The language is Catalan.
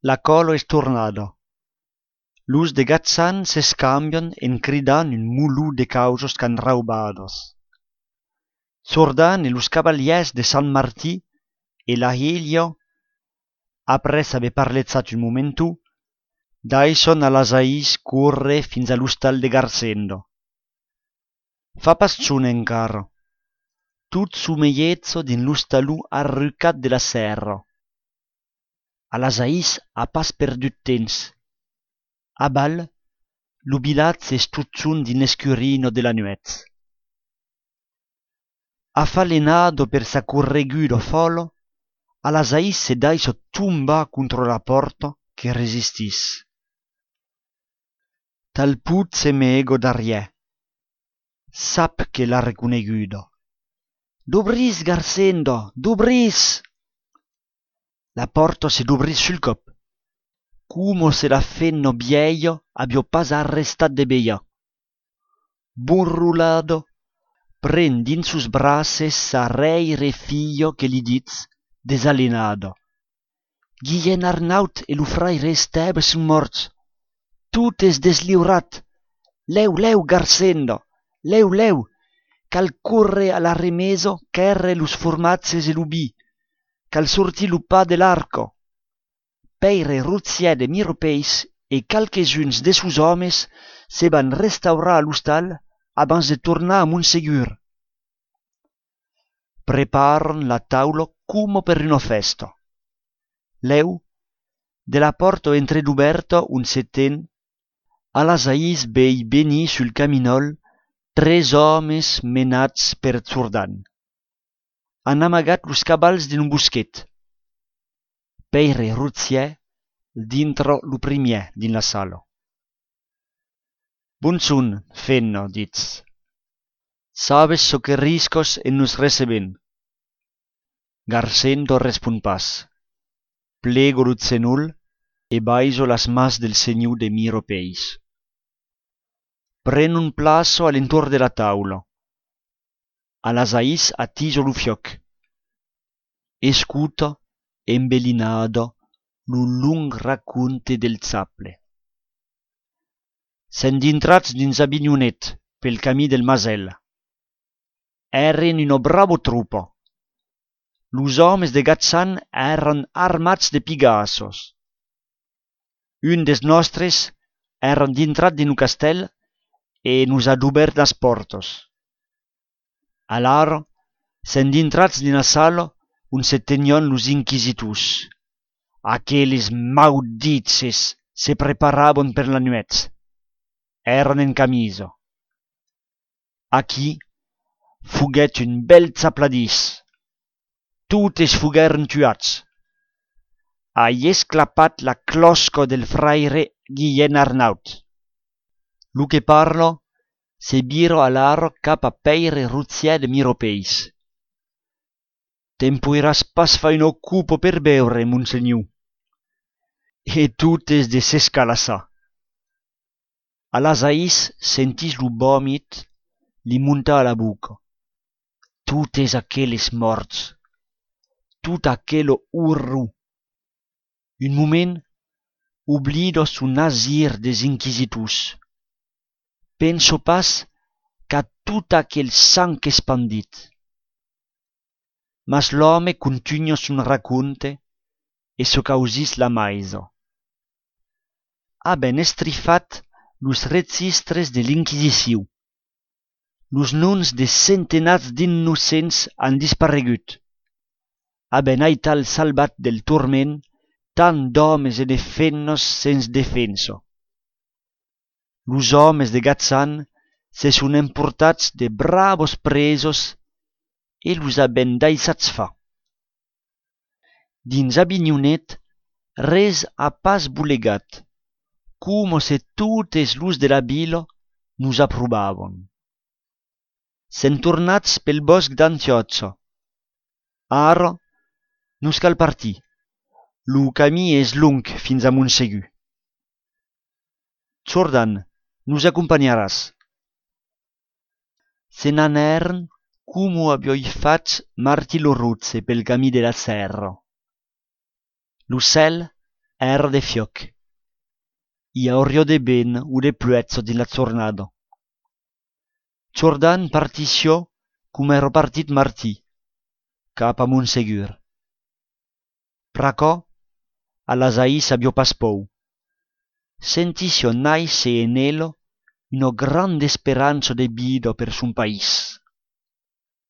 La colo es tornado. Los de Gatzan se scambian en cridan un mulú de causos can raubados. Sordan e los cavaliers de San Martí e la Helio, apres haver parlezzat un momentu, daison a las ais corre fins a l'hostal de Garsendo. Fa pas zun encara. Tut su meiezzo din l'hostalù arrucat de la serra. A las ais ha pas perdut temps. A bal, l'ubilat s'es tutzun din escurino de la nuez. Affalenado per sa corregudo folo, a las ais se daiso tumba contro la porta che resistis. Tal put se mego d'arriè. Sap che l'ha reconegudo. Dobris, Garsendo, dobris! La porta se dobris sul cop. Como se la fenno vieio abbia pas arrestat de beia. Burrulado, pren din sus braces sa reire fillo che li ditz, desalenado. Guillén Arnaut e lu fraire Esteve sun morts. Tut es desliurat. Leu, leu, Garsendo, leu, leu, cal corre a la remeso ch'erre lus formazzes e l'ubi, cal sorti lu pas de l'arco. Peire Ruziè de Miropeis e calquesuns de sus homes se van restaurar a l'hostal abans de tornar a Montsegur. Preparan la taula como per una festa. Leu, de la porta entreduberta un seten, a las ais vei venir sul caminol 3 homes menats per Zordan. Han amagat los cabals d'un boschet. Peire Ruziè dintro lu primier din la sala. Bunzun, fenno, ditz. Sabes so que riscos en nos receben. Garsendo respon pas. Plego lu zenul e baiso las mas del seniu de Miropeis. Pren un plazo all'entor de la taula. A las ais attiso lu fioc. Escuta, embelinado, lu lung racunte del zapple. Sen d'intrats dins a Bignonet, pel camí del Masel. Eren uno bravo trupo. Los homes de Gatzan eran armats de pigassos. Un des nostres eran d'intrat din un castell e nos ha obert las portos. Alaro, sen d'intrats din la sala, un se tenion los inquisitus. Aqueles mauditses se preparaban per la nuez. Eran en camiso. Aquí fuguet un bel zapladís. Tutes fugueren tuats. Hai esclapat la closca del fraire Guillén Arnaut. Lu che parlo se biro alaro cap a Peire Ruziè de Miropeis. Tempoiras pas fa un occupo per beure, monsegnu. E tutes de s'escalassa. A las ais sentis lu vomit li munta a la buca. Tutes aqueles morts. Tut aquelo urru. Un moment, oblido su nazir des inquisitus. Penso pas qu'a tot aquel sang expandit. Mas l'home continua sun racunte e so causis la maiso. Ha ben estrifat los registres de l'inquisició. Los noms de centenats d'innocents han disparegut. Ha ben aital salvat del turment tant d'homes e de fennos sens defenso. Los homes de Gatzan se sun emportats de bravos presos e los ha ben daisats fa. Dins a Bignonet res ha pas bulegat, como se totes los de la vila nos approbavan. Sen tornats pel bosc d'Antiozzo. Ara nos cal partir. Lu camí és long fins a Montsegur. Zordan, nos acompanharàs. Se n'anèren como avioi fat Martí Loruzze pel camí de la serra. Lu cel era de fioc. I aurio de ben u de pluezzo di la tornado. Jordan partició cum ero partit Martí, cap a Montsegur. Pr'aquò, a las ahí s'aviò pas pou. Sentisio naise en elo una grande sperança de vida per son país.